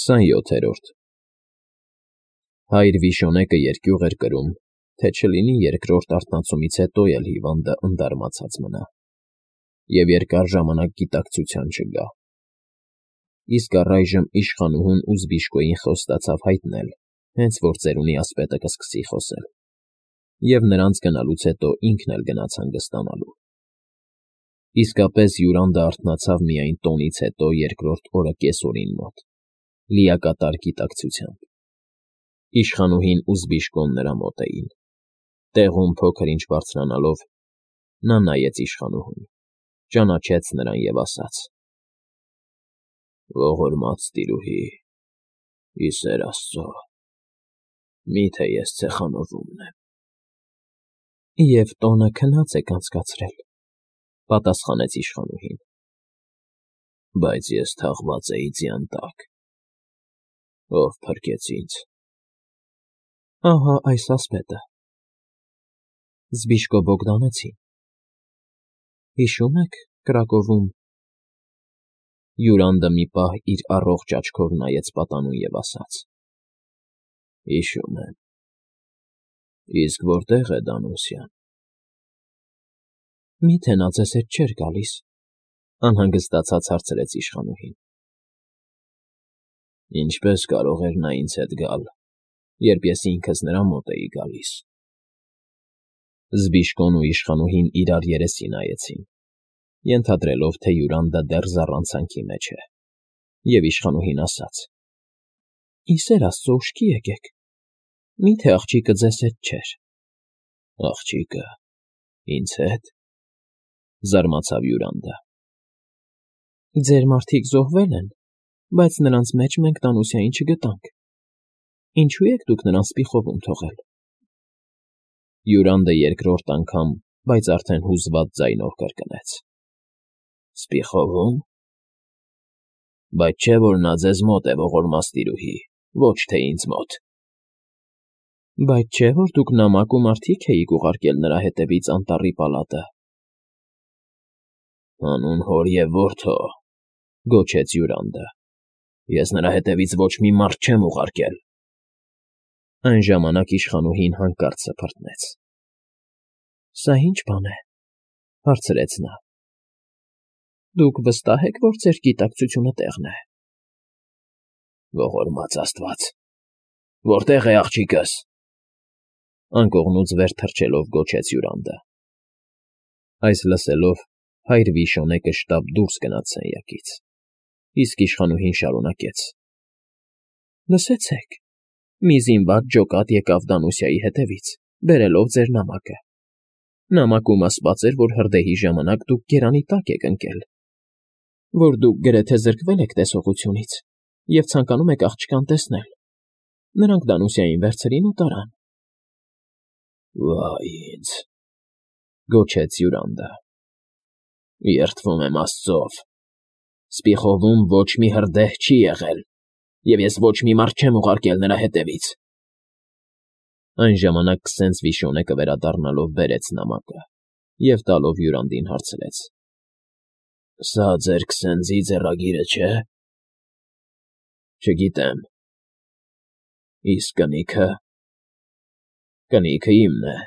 27-րդ Հայր Վիշոնեկը երկյուղ էր կրում, թե չլինի երկրորդ արթնացումից հետո էլ հիվանդը ընդարմացած մնա, և երկար ժամանակ գիտակցության չգա։ Իսկ առայժմ իշխանուհուն ու Զբիշկոյին խոստացավ հայտնել, հենց որ ծերունի ասպետը կսկսի խոսել, և նրանց գնալուց հետո ինքն էլ գնաց հանգստանալու։ Իսկապես Յուրանդը արթնացավ միայն տոնից հետո երկրորդ օրը կեսօրին մոտ, լիակատար գիտակցությամբ։ Իշխանուհին ու Զբիշկոն նրա մոտ էին։ Տեղում փոքր-ինչ բարձրանալով, նա նայեց իշխանուհուն, ճանաչեց նրան և ասաց. «Ողորմած տիրուհի, ի սեր Աստծո, մի՞թե ես ցեխանովում եմ»։ «Եվ տոնը քնած եք անցկացրել», պատասխանեց իշխանուհին։ «Բայց ես թաղված էի ձյան տակ, ով փրկեց ինձ»։ «Ահա այս ասպետը»։ Զբիշկո Բոգդանեցին։ «Հիշո՞ւմ եք Կրակովում»։ Յուրանդը մի պահ իր առողջ աչքով նայեց պատանուն և ասաց. «Հիշում եմ։ Իսկ որտե՞ղ է Դանուսյան»։ «Մի՞թե նա ձեզ հետ չէր գալիս», անհանգստացած հարցրեց իշխանուհին։ «Ինչպե՞ս կարող էր նա ինձ հետ գալ, երբ ես ինքս նրա մոտ էի գալիս»։ Զբիշկոն ու իշխանուհին իրար երեսի նայեցին, ենթադրելով, թե Յուրանդը դեռ զառանցանքի մեջ է, և իշխանուհին ասաց. «Ի սեր Աստծո, ուշքի եկեք, մի՞թե աղջիկը ձեզ հետ չէր»։ «Աղջիկը… ինձ հետ», զարմացավ Յուրանդը։ «Ձեր մարդիկ զոհվել են, բայց նրանց մեջ մենք Դանուսիային չգտանք։ Ինչո՞ւ եք դուք նրան սպիխովում թողել»։ Յուրանդը երկրորդ անգամ, բայց արդեն հուզված ձայնով կրկնեց. «Սպիխովում… Բայց չէ՞ որ նա ձեզ մոտ է, ողորմած տիրուհի, ոչ թե ինձ մոտ»։ «Բայց չէ՞ որ դուք նամակ ու մարդիկ էիք ուղարկել նրա հետևից անտառի պալատը»։ «Հանուն հոր և որդու», գոչեց Յուրանդը, «ես նրա հետևից ոչ մի մարդ չեմ ուղարկել»։ Այն ժամանակ իշխանուհին հանկարծ սփռտնեց։ «Սա ի՞նչ բան է», հարցրեց նա։ «Դուք վստահ եք, որ ձեր գիտակցությունը տեղն է»։ «Ողորմած Աստված, որտե՞ղ է աղջիկս»։ Անկողնուց վեր թռչելով գոչեց Յուրանդը։ Այս լսելով, հայր Վիշոնեկը շտապ դուրս գնաց սենյակից, իսկ իշխանուհին շարունակեց. «Լսեցեք, մի զինված ջոկատ եկավ Դանուսիայի հետևից, բերելով ձեր նամակը։ Նամակում ասված էր, որ հրդեհի ժամանակ դուք գերանի տակ եք ընկել, որ դուք գրեթե զրկվել եք տեսողությունից և ցանկանում եք աղջկան տեսնել։ Նրանք Դանուսիային վերցրին ու տարան»։ «Վայ ինձ», գոչեց Յուրանդը, «երդվում եմ Աստծով, սպիխովում ոչ մի հրդեհ չի եղել, և ես ոչ մի մարդ չեմ ուղարկել նրա հետևից»։ Այն ժամանակ քսենց Վիշոնեկը վերադառնալով բերեց նամակը և տալով Յուրանդին հարցրեց. «Սա ձեր քսենզի ձեռագիրը չէ՞։ Չգիտեմ։ Իսկ կնիքը»։ «Կնիքը իմն է։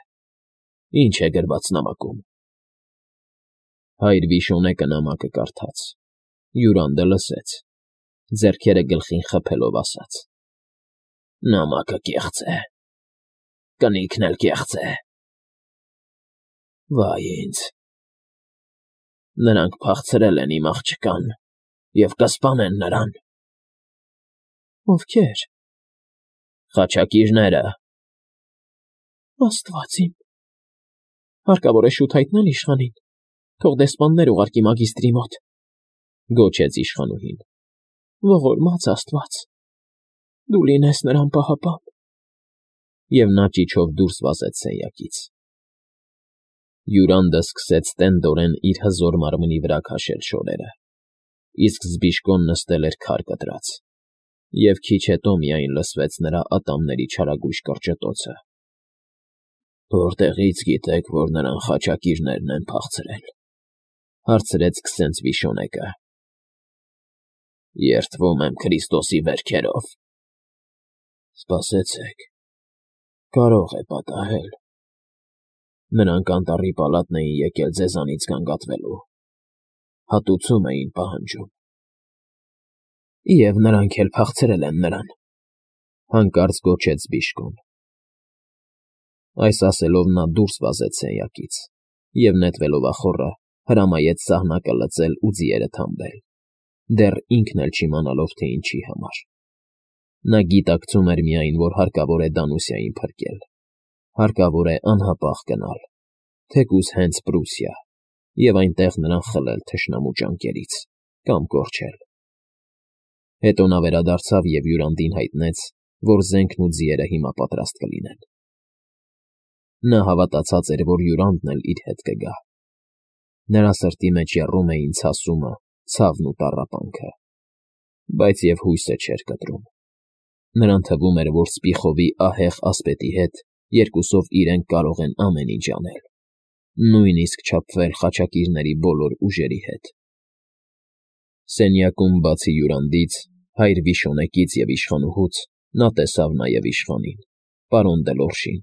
Ինչ է գրված նամակում»։ Հայր Վիշոնեկը նամակը կարդաց, Յուրանդը լսեց, ձեռքերը գլխին խփելով ասաց. «Նամակը կեղծ է, կնիքն էլ կեղծ է։ Վայ ինձ։ Նրանք փախցրել են իմ աղջկան և կսպանեն նրան»։ «Ովքե՞ր»։ «Խաչակիրները»։ «Աստված իմ։ Հարկավոր է շուտ հայտնել իշխանին, թող դեսպաններ ուղարկի մագիստրի մոտ», գոչեց իշխանուհին։ «Ողորմած Աստված, դու լինես նրան պահապան»։ Եվ նա ճիչով դուրս վազեց սենյակից։ Յուրանդը սկսեց տենդորեն իր հզոր մարմնի վրա քաշել շորերը, իսկ Զբիշկոն նստել էր քար կտրած, և քիչ հետո միայն լսվեց նրա ատամների չարագույժ կրճտոցը։ «Որտեղի՞ց գիտեք, որ նրան խաչակիրներն են փախցրել», հարցրեց քսենց Վիշոնեկը։ Երդվում եմ Քրիստոսի վերքերով։ Սպասեցեք, կարող է պատահել։ Նրանք անտառի պալատն էին եկել ձեզանից գանգատվելու, հատուցում էին պահանջում։ Եվ նրանք էլ փախցրել են նրան, հանկարծ գոչեց Բիժկոն։ Այս ասելով նա դուրս վազեց սենյակից և, նետվելով ախոռը, հրամայեց սահնակը լծել ու ձիերը թամբել, դեռ ինքն էլ չիմանալով, թե ինչի համար։ Նա գիտակցում էր միայն, որ հարկավոր է Դանուսիային փրկել, հարկավոր է անհապաղ գնալ, թեկուզ հենց Պրուսիա, և այնտեղ նրան խլել թշնամու ճանկերից կամ կորչել։ Հետո նա վերադարձավ և հյուրանդին հայտնեց, որ զենքն ու ձիերը հիմա պատրաստ կլինեն։ Նա հավատացած էր, որ հյուրանդն էլ իր հետ կգա։ Նրա սրտի մեջ եռում էին ցասումը, ցավն ու տառապանքը, բայց և հույսը չէր կտրում։ Նրան թվում էր, որ Սպիխովի ահեղ ասպետի հետ երկուսով իրենք կարող են ամեն ինչ անել, նույնիսկ չափվել խաչակիրների բոլոր ուժերի հետ։ Սենյակում բացի հյուրանդից, հայր Վիշոնեկից և իշխանուհուց, նա տեսավ նաև իշխանին, պարոն Դելորժին,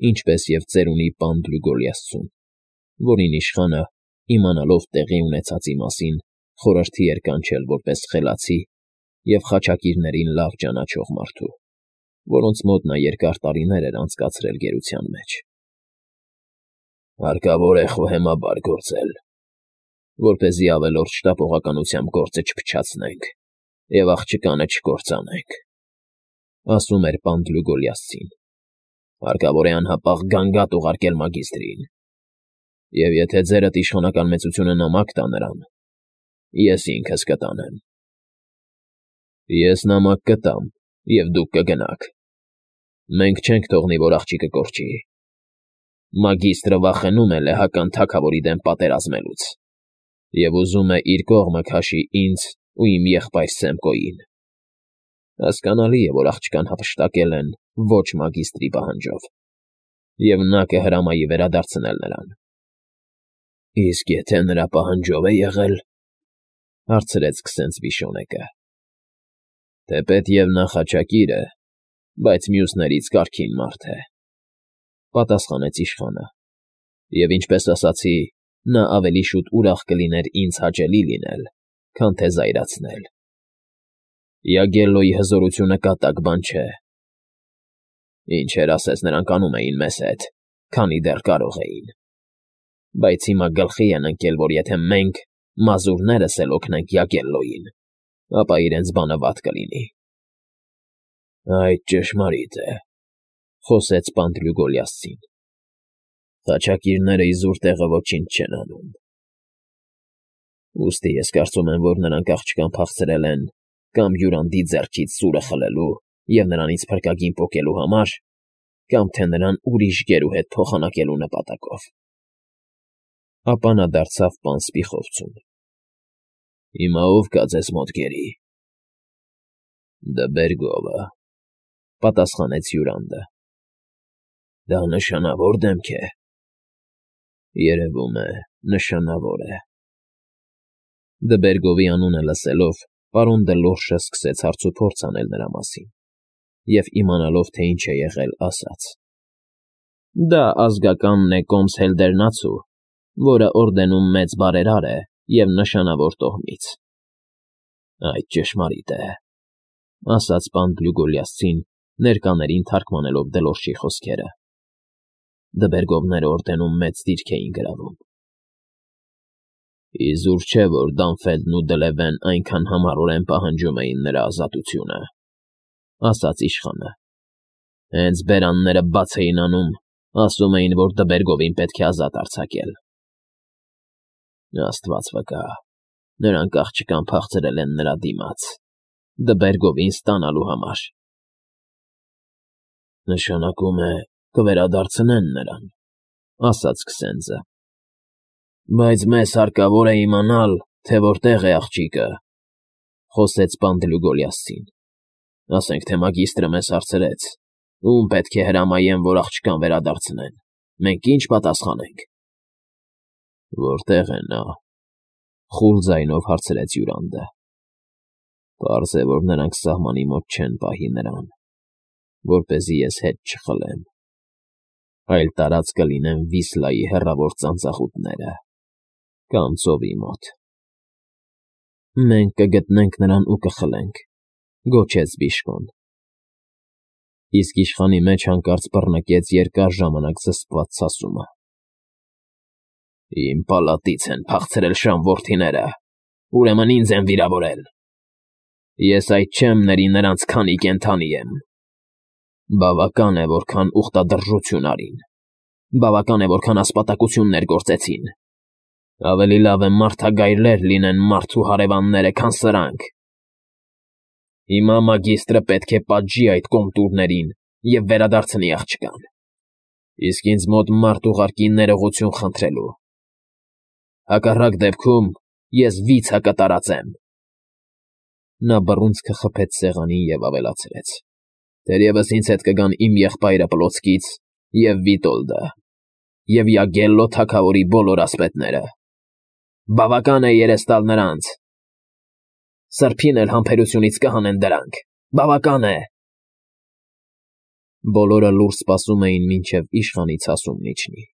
ինչպես և ծերունի պան Գլյուգոլիասցուն, որին իշխանը, իմանալով տեղի ունեցածի մասին, խորհրդի էր կանչել որպես խելացի և խաչակիրներին լավ ճանաչող մարդու, որոնց մոտ նա երկար տարիներ էր անցկացրել գերության մեջ։ Հարկավոր է խոհեմաբար գործել, որպեսզի ավելորդ շտապողականությամբ գործը չփչացնենք և աղջկանը չկործանենք, ասում էր պան Գլյուգոլիասցին։ Հարկավոր է անհապաղ գանգատ ուղարկել մագիստրին, և եթե ձերդ իշխանական մեծությունը նամակ տա նրան, ես ինքս կտանեմ։ Ես նամակ կտամ, և դուք կգնաք։ Մենք չենք թողնի, որ աղջիկը կորչի։ Մագիստրը վախենում է լեհական թագավորի դեմ պատերազմելուց և ուզում է իր կողմը քաշի ինձ ու իմ եղբայր Սեմկոյին։ Հասկանալի է, որ աղջկան հափշտակել են ոչ մագիստրի պահանջով, և նա կհրամայի վերադարձնել նրան։ Իսկ եթե նրա պահանջով է եղել, հարցրեց քսենց Վիշոնեկը։ Թեպետև նա խաչակիր է, բայց մյուսներից կարգին մարդ է, պատասխանեց իշխանը, և ինչպես ասացի, նա ավելի շուտ ուրախ կլիներ ինձ հաճելի լինել, քան թե զայրացնել։ Յագելլոյի հզորությունը կատակ բան չէ։ Ինչեր ասես նրանք անում էին մեզ հետ, քանի դեռ կարող էին։ Բայց հիմա գլխի են ընկել, որ եթե մենք, մազուրներս էլ օգնենք Յագելլոյին, ապա իրենց բանը վատ կլինի։ Այդ ճշմարիտ է, խոսեց պան Գլյուգոլիասցին։ Խաչակիրները իզուր տեղը ոչինչ չեն անում։ Ուստի ես կարծում եմ, որ նրանք աղջկան փախցրել են կամ հյուրանդի ձեռքից սուրը խլելու և նրանից փրկագին պոկելու համար, կամ թե նրան ուրիշ գերու հետ փոխանակելու նպատակով։ Ապա նա դարձավ պան Սպիխովցուն։ Հիմա ով կա ձեզ մոտ գերի։ Դբերգովը, պատասխանեց հյուրանդը։ Դա նշանավոր դեմք է։ Երևում է, նշանավոր է։ Դբերգովի անունը լսելով, պարոն Դելորժը սկսեց հարցուփորձ անել նրա մասին և իմանալով, թե ինչ է եղել, ասաց. Դա ազգականն է կոմս Հելդերնացու, որը օրդենում մեծ բարերար է և նշանավոր տոհմից։ Այդ ճշմարիտ է, ասաց պան Գլյուգոլիասցին, ներկաներին թարգմանելով Դելորժի խոսքերը։ Դբերգովները օրդենում մեծ դիրք էին գրավում։ Իզուր չէ, որ Դանֆելդն ու Դլևեն այնքան համառորեն պահանջում էին նրա ազատությունը, ասաց իշխանը։ Հենց բերանները բաց էին անում, ասում էին, որ Դբերգովին պետք է ազատ արձակել։ Աստված վկա, նրանք աղջկան փախցրել են նրա դիմաց, Դբերգովին ստանալու համար։ Նշանակում է, կվերադարձնեն նրան, ասաց քսենձը։ Բայց մեզ հարկավոր է իմանալ, թե որտեղ է աղջիկը, խոսեց պան Գլյուգոլիասցին։ Ասենք թե մագիստրը մեզ հարցրեց, ում պետք է հրամայեմ, որ աղջկան վերադարձնեն, մենք ինչ պատասխանենք։ Որտեղ է նա, խուլ ձայնով հարցրեց հյուրանդը։ Պարզ է, որ նրանք սահմանի մոտ չեն պահի նրան, որպեսզի ես հետ չխլեմ, այլ տարած կլինեն Վիսլայի հեռավոր ծանծաղուտները կամ ծովի մոտ։ Մենք կգտնենք նրան ու կխլենք, գոչեց Բիժկոն։ Իսկ իշխանի մեջ հանկարծ բռնկեց երկար ժամանակ զսպված ցասումը։ Իմ պալատից են փախցրել Շամ որդիները, ուրեմն ինձ են վիրավորել։ Ես այդ չեմ ների նրանց քանի կենդանի եմ։ Բավական է, որքան ուխտադրժություն արին, բավական է, որքան ասպատակություններ գործեցին։ Ավելի լավ է մարդագայլեր լինեն մարդու հարևանները, քան սրանք։ Հիմա մագիստրը պետք է պատժի այդ կոմտուրներին և վերադարձնի աղջկան, իսկ ինձ մոտ մարդ ուղարկի ներողություն խնդրելու։ Հակառակ դեպքում ես վիցը կտարածեմ։ Նա բռունցքը խփեց սեղանին և ավելացրեց. Թերևս ինձ հետ կգան իմ եղբայրը Պլոտսկից և Վիտոլդը, և Յագելլո թագավորի բոլոր ասպետները։ Բավական է երես տալ նրանց։ Սրբին էլ համբերությունից կհանեն դրանք։ Բավական է։ Բոլորը լուռ սպասում էին, մինչև իշխանի ցասումն իջնի։